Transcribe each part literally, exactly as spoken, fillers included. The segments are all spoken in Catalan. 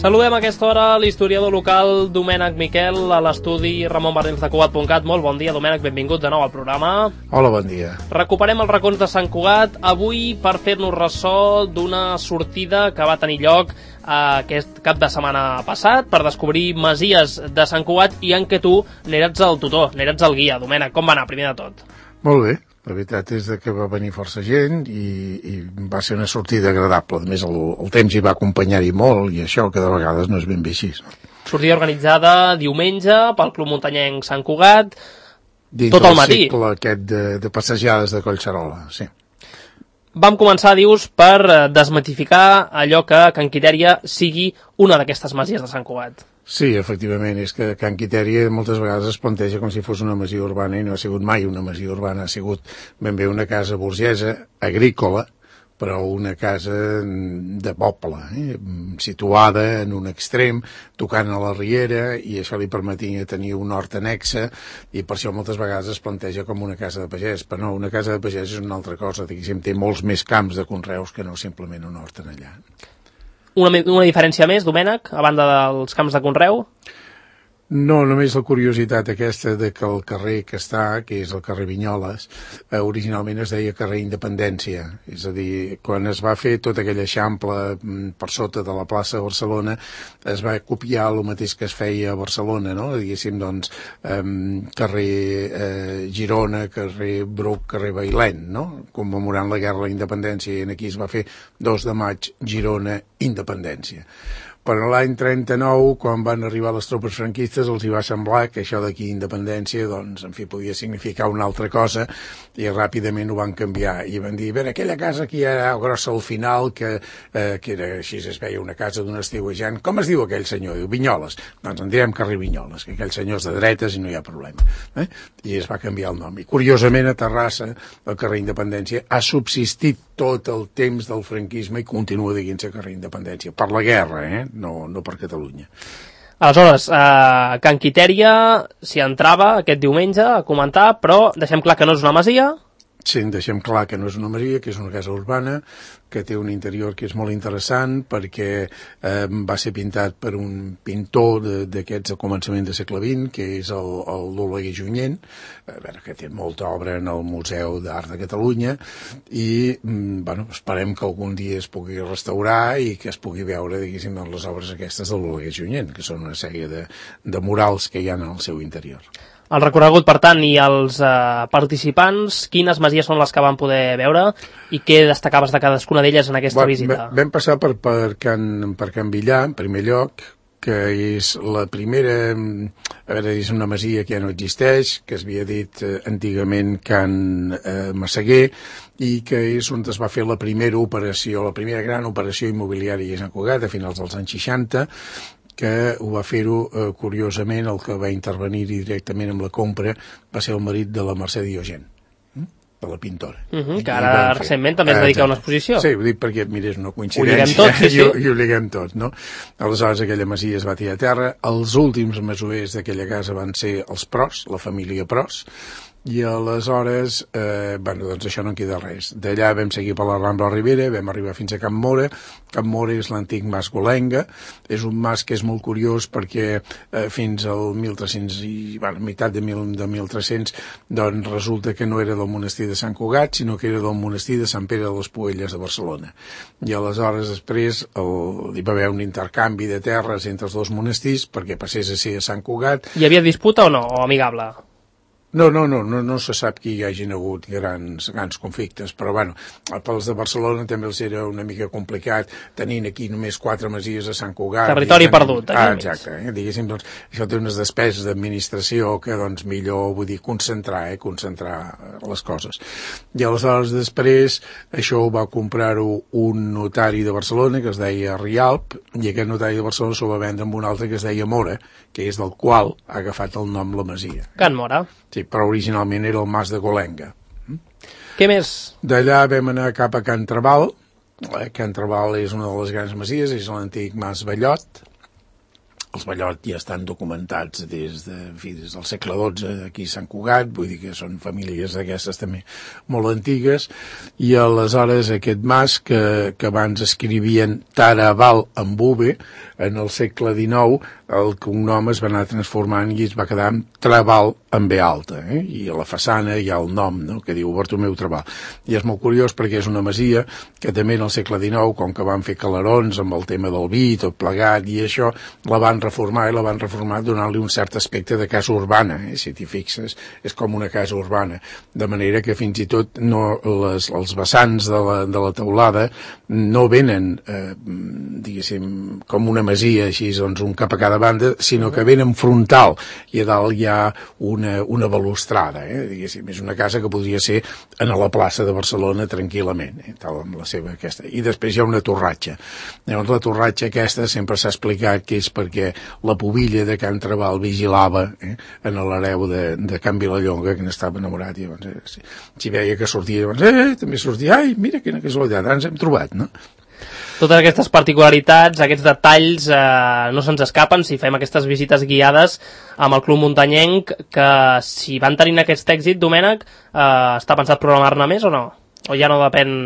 Saludem a aquesta hora l'historiador local Domènec Miquel a l'estudi Ramon Barnils de Cugat punt cat. Molt bon dia, Domènec, benvingut de nou al programa. Hola, bon dia. Recuperem els racons de Sant Cugat avui per fer-nos ressò d'una sortida que va tenir lloc aquest cap de setmana passat per descobrir masies de Sant Cugat i en què tu n'eres el tutor, n'eres el guia. Domènec, com va anar, primer de tot? Molt bé. La veritat és que va venir força gent i, i va ser una sortida agradable. A més, el, el temps hi va acompanyar-hi molt i això que de vegades no és ben bé així. Sortida organitzada diumenge pel Club Muntanyenc Sant Cugat, dins tot el matí. Dins del cicle aquest de, de passejades de Collserola, sí. Vam començar, dius, per desmitificar allò que Can Quitèria sigui una d'aquestes masies de Sant Cugat. Sí, efectivament, és que Can Quitèria moltes vegades es planteja com si fos una masia urbana i no ha sigut mai una masia urbana, ha sigut ben bé una casa burgesa, agrícola, però una casa de poble, eh? situada en un extrem, tocant a la riera, i això li permetia tenir un hort annexa, i per això moltes vegades es planteja com una casa de pagès, però no, una casa de pagès és una altra cosa, diguéssim, té molts més camps de conreus que no simplement un hort en allà. Una, una diferència més, Domènec, a banda dels camps de conreu? No, només la curiositat aquesta de que el carrer que està, que és el carrer Vinyoles, eh, originalment es deia carrer Independència. És a dir, quan es va fer tota aquella eixample per sota de la plaça de Barcelona, es va copiar el mateix que es feia a Barcelona, no? Diguéssim, doncs, eh, carrer eh, Girona, carrer Bruc, carrer Bailèn, no? Commemorant la guerra de la independència, i aquí es va fer dos de maig, Girona, Independència. Però l'any trenta-nou, quan van arribar les tropes franquistes, els hi va semblar que això d'aquí independència, doncs, en fi, podia significar una altra cosa, i ràpidament ho van canviar. I van dir, bé, aquella casa que hi ha grossa al final, que, eh, que era així, es veia una casa d'un estiuejant. Com es diu aquell senyor? Diu, Vinyoles. Doncs en direm carrer Vinyoles, que aquell senyor és de dretes i no hi ha problema. Eh? I es va canviar el nom. I curiosament, a Terrassa, el carrer Independència ha subsistit tot el temps del franquisme i continua dient-se carrer Independència. Per la guerra, eh? No, no per Catalunya. Aleshores, eh, Can Quitèria s'hi entrava aquest diumenge a comentar, però deixem clar que no és una masia. Sí, deixem clar que no és una masia, que és una casa urbana, que té un interior que és molt interessant perquè eh, va ser pintat per un pintor d'aquests a començament de segle vint, que és el, el l'Oleguer Junyent, a veure, que té molta obra en el Museu d'Art de Catalunya, i bueno, esperem que algun dia es pugui restaurar i que es pugui veure, diguéssim, les obres aquestes de l'Oleguer Junyent, que són una sèrie de, de murals que hi ha en el seu interior. El recorregut, per tant, i els eh, participants, quines masies són les que van poder veure i què destacaves de cadascuna d'elles en aquesta bueno, visita? Vam passar per, per, Can, per Can Villà, en primer lloc, que és la primera, a veure, és una masia que ja no existeix, que es havia dit eh, antigament Can eh, Massaguer, i que és on es va fer la primera operació, la primera gran operació immobiliària a Sant Cugat, a finals dels anys seixanta, que ho va fer-ho, eh, curiosament, el que va intervenir directament amb la compra va ser el marit de la Mercè Diogen, de la pintora. Uh -huh, que ara recentment també es dedica a una exposició. Sí, ho dic perquè, mira, és una coincidència. Ho liguem tot, sí, sí. I, ho, i ho liguem tot, no? Aleshores, aquella masia es va tirar a terra. Els últims masovers d'aquella casa van ser els Pros, la família Pros, i aleshores, eh, bueno, doncs això no en queda res. D'allà vam seguir per la Rambla Ribera, vam arribar fins a Can Móra. Can Móra és l'antic mas Golenga, és un mas que és molt curiós perquè eh, fins al mil tres-cents i, bueno, meitat de, mil, de mil tres-cents, doncs resulta que no era del monestir de Sant Cugat, sinó que era del monestir de Sant Pere de les Puelles de Barcelona. I aleshores després el, hi va haver un intercanvi de terres entre els dos monestirs perquè passés a ser a Sant Cugat. Hi havia disputa o no, o amigable? No, no, no, no, no se sap que hi hagin hagut grans, grans conflictes, però bueno, pels de Barcelona també els era una mica complicat, tenint aquí només quatre masies a Sant Cugat. Territori perdut. Ah, exacte, eh? Diguéssim, doncs, això té unes despeses d'administració que, doncs, millor, vull dir, concentrar, eh? concentrar les coses. I aleshores, després, això ho va comprar-ho un notari de Barcelona, que es deia Rialp, i aquest notari de Barcelona s'ho va vendre amb un altre que es deia Mora, que és del qual ha agafat el nom la masia. Can Mora. Sí, però originalment era el mas de Golenga. Què més? D'allà vam anar cap a Can Trabal. Can Trabal és una de les grans masies, és l'antic mas Ballot, els Ballot ja estan documentats des, de, en fi, des del segle dotze aquí a Sant Cugat, vull dir que són famílies d'aquestes també molt antigues, i aleshores aquest mas que, que abans escrivien Taraval amb V, en el segle dinou el cognom es va anar transformant i es va quedar amb Traval amb B alta, eh? I a la façana hi ha el nom, no?, que diu Bartomeu Traval. I és molt curiós perquè és una masia que també en el segle dinou, com que van fer calarons amb el tema del vi, tot plegat i això, la van reformar i la van reformar donant-li un cert aspecte de casa urbana, eh? Si t'hi fixes, és com una casa urbana, de manera que fins i tot no, les, els vessants de la, de la teulada no venen, eh, diguéssim, com una masia, així, doncs, un cap a cada banda, sinó que venen frontal, i a dalt hi ha una, una balustrada, eh? Diguéssim, és una casa que podria ser en la plaça de Barcelona tranquil·lament, eh? Tal amb la seva aquesta. I després hi ha una torratxa. Llavors, la torratxa aquesta sempre s'ha explicat que és perquè la pubilla de Can Traval vigilava, eh? En l'hereu de, de Can Vilallonga, que n'estava enamorat, i llavors, eh, si, si veia que sortia, llavors, eh, també sortia, ai, mira quina casualitat, ara ens hem trobat, no? Totes aquestes particularitats, aquests detalls, eh, no se'ns escapen si fem aquestes visites guiades amb el Club Muntanyenc, que si van tenint aquest èxit, Domènec, eh, està pensat programar-ne més o no? O ja no depèn...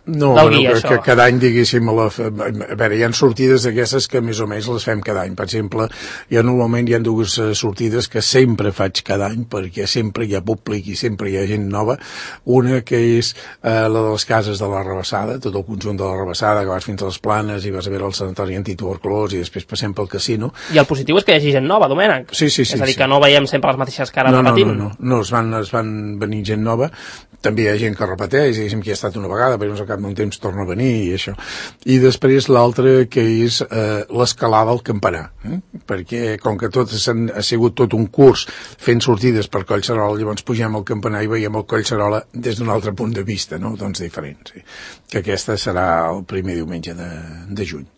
No, bueno, que, que cada any, diguéssim, a, la, a veure, hi ha sortides d'aquestes que més o menys les fem cada any. Per exemple, ja normalment hi ha dues sortides que sempre faig cada any perquè sempre hi ha públic i sempre hi ha gent nova. Una que és eh, la de les cases de la Rebassada, tot el conjunt de la Rebassada, que vas fins a les Planes i vas a veure el sanatori antituberculós i després passem pel casino. I el positiu és que hi hagi gent nova, Domènec. Sí, sí, sí. És a dir, sí. que no veiem sempre les mateixes cares no, repetint. No, no, no, no, es van, es van venir gent nova. També hi ha gent que repeteix, diguéssim, que hi ha estat una vegada, però no sé, cap d'un temps torna a venir i això. I després l'altre que és eh, l'escalada al campanar, eh? Perquè com que tot ha sigut tot un curs fent sortides per Collserola, llavors pugem al campanar i veiem el Collserola des d'un altre punt de vista, no? Doncs diferent, sí. Que aquesta serà el primer diumenge de, de juny.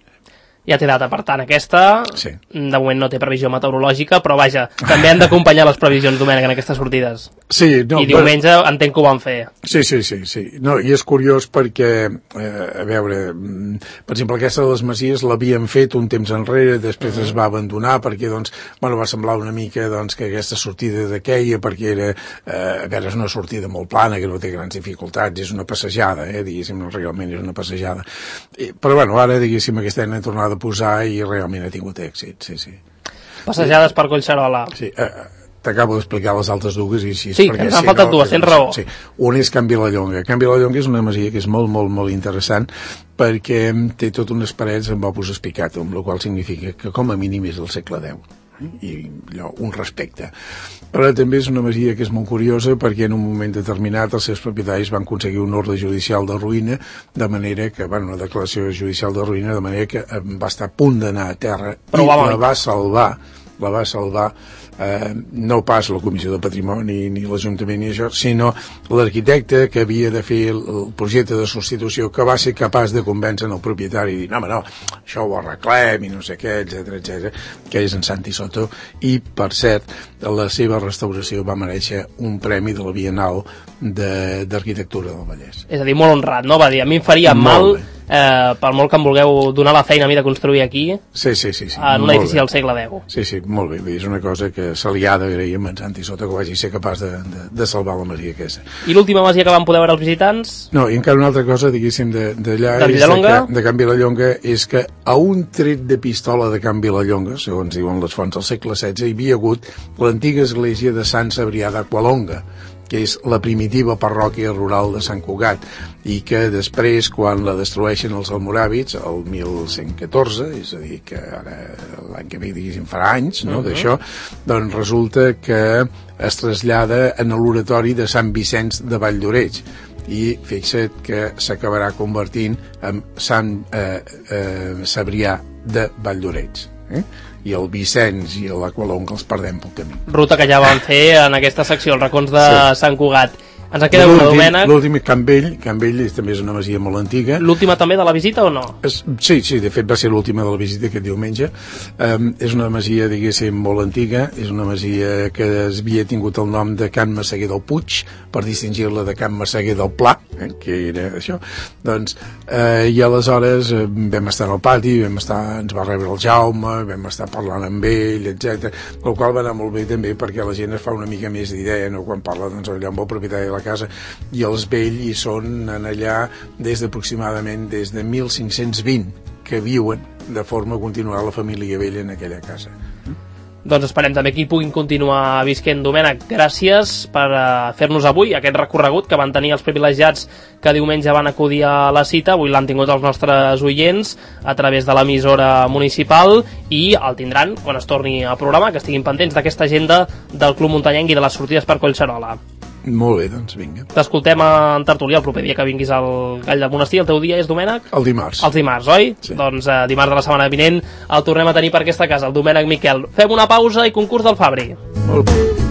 Ja té data, per tant, aquesta, sí. De moment no té previsió meteorològica, però vaja, també han d'acompanyar les previsions, Domènec, en aquestes sortides. Sí, no, I diumenge però... entenc que ho van fer. Sí, sí, sí, sí. No, i és curiós perquè, eh, a veure, per exemple, aquesta de les Masies l'havien fet un temps enrere, després uh -huh. es va abandonar perquè, doncs, bueno, va semblar una mica, doncs, que aquesta sortida de queia, perquè era, eh, a veure, és una sortida molt plana, que no té grans dificultats, és una passejada, eh, diguéssim, no, realment és una passejada. I, però, bueno, ara, diguéssim, aquest any he tornat a posar i realment ha tingut èxit, sí, sí. Passejades sí. Per Collserola. Sí, eh, t'acabo d'explicar les altres dues i així. Sí, que ens han si faltat no, dues, tens raó. Sí. Una és Can Vilallonga. Can Vilallonga és una masia que és molt, molt, molt interessant perquè té tot unes parets amb opus espicatum, el qual significa que com a mínim és del segle deu. I allò, un respecte. Però també és una masia que és molt curiosa perquè en un moment determinat els seus propietaris van aconseguir un ordre judicial de ruïna, de manera que, bueno, una declaració judicial de ruïna, de manera que va estar a punt d'anar a terra però i la va salvar la va salvar eh, no pas la Comissió de Patrimoni ni l'Ajuntament ni això, sinó l'arquitecte que havia de fer el, el projecte de substitució, que va ser capaç de convèncer el propietari i dir, no, home, no, això ho arreglem i no sé què, etcètera, etcètera, que és en Santi Soto, i, per cert, la seva restauració va mereixer un premi de la Bienal d'Arquitectura de, del Vallès. És a dir, molt honrat, no? Va dir, a mi em faria molt mal... Bé. Eh, per molt que em vulgueu donar la feina a mi de construir aquí sí, sí, sí, sí. en un edifici del segle deu. Sí, sí, molt bé, és una cosa que se li ha d'agrair a en Santi Soto que vagi ser capaç de, de, de salvar la masia aquesta. I l'última masia que van poder veure els visitants? No, i encara una altra cosa, diguéssim, d'allà de, de, de, de Can Vilallonga, és que a un tret de pistola de Can Vilallonga, segons diuen les fonts del segle setze, hi havia hagut l'antiga església de Sant Cebrià d'Aqualonga, que és la primitiva parròquia rural de Sant Cugat, i que després, quan la destrueixen els almoràvits, el mil cent catorze, és a dir, que ara l'any que ve, diguéssim, farà anys, no?, uh -huh. d'això, doncs resulta que es trasllada en l'oratori de Sant Vicenç de Valldoreix, i fixa't que s'acabarà convertint en Sant eh, eh, Cebrià de Valldoreix, eh? I el Vicenç i l'Aqualonga els perdem pel camí. Ruta que ja van fer en aquesta secció, els racons de sí. Sant Cugat. Ens en queda una, Domènec. L'últim, Can Vell, Can Vell també és una masia molt antiga. L'última també de la visita o no? Es, sí, sí, de fet va ser l'última de la visita aquest diumenge. Um, és una masia, diguéssim, molt antiga, és una masia que es havia tingut el nom de Can Massaguer del Puig, per distingir-la de Can Massaguer del Pla, eh, que era això. Doncs, eh, i aleshores eh, vam estar al pati, vam estar, ens va rebre el Jaume, vam estar parlant amb ell, etcètera. El qual va anar molt bé també perquè la gent es fa una mica més d'idea, no? Quan parla doncs, allà amb el propietari de la casa, i els Vell hi són en allà des d'aproximadament des de mil cinc-cents vint que viuen de forma continuada la família Vell en aquella casa. Doncs esperem també que hi puguin continuar visquent. Domènec, gràcies per uh, fer-nos avui aquest recorregut que van tenir els privilegiats que diumenge van acudir a la cita. Avui l'han tingut els nostres oients a través de l'emissora municipal i el tindran quan es torni a programar, que estiguin pendents d'aquesta agenda del Club Muntanyenc i de les sortides per Collserola. Molt bé, doncs vinga. T'escoltem en tertúlia el proper dia que vinguis al Gall del Monestir. El teu dia és, Domènec? El dimarts. Els dimarts, oi? Sí. Doncs eh, dimarts de la setmana vinent el tornem a tenir per aquesta casa, el Domènec Miquel. Fem una pausa i concurs del Fabri. Molt bé.